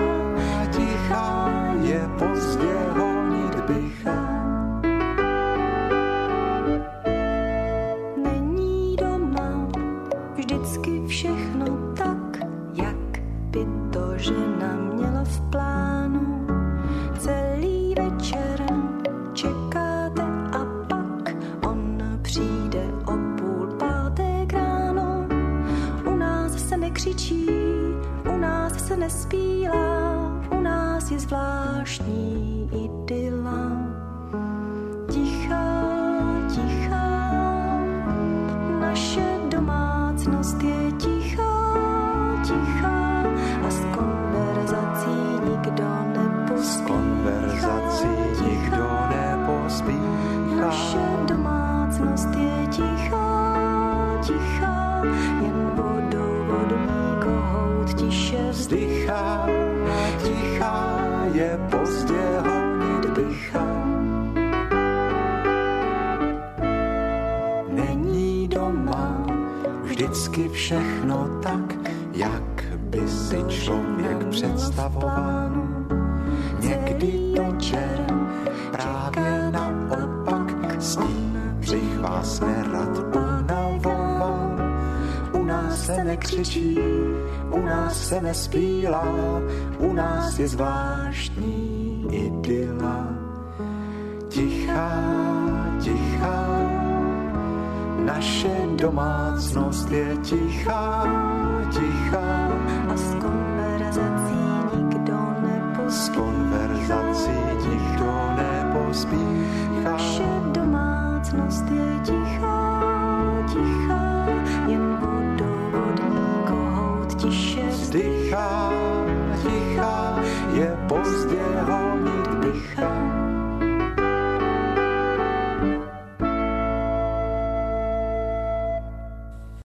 Tichá je pozdě honit bycha. Není doma vždycky všechno tak, jak by to žena měla v plánu. Celý večer čekáte a pak on přijde o půl páté ráno. U nás se nekřičí, u nás se nespívá, u nás je zvláštní idyla. Tichá, tichá, naše domácnost je tichá, tichá a z konverzací nikdo nepospíchá. Z konverzací nikdo nepospíchá. Naše domácnost je tichá, tichá, jen vodovodní kohout tiše vzdychá. Tichá je pozdě honit bycha. Není doma vždycky všechno tak, jak by si člověk představoval. Někdy to čer právě naopak, s tím bych vás nerad unavoval. U nás se nekřičí, u nás se nespílá, u nás je zvláštní idyla. Tichá, tichá, naše domácnost je tichá, tichá a z konverzací nikdo nepospíchá. Z konverzací nikdo nepospíchá. Naše domácnost je tichá, tichá, jen vodovodní kohout tiše vzdychá. Tichá je pozdě honit bycha.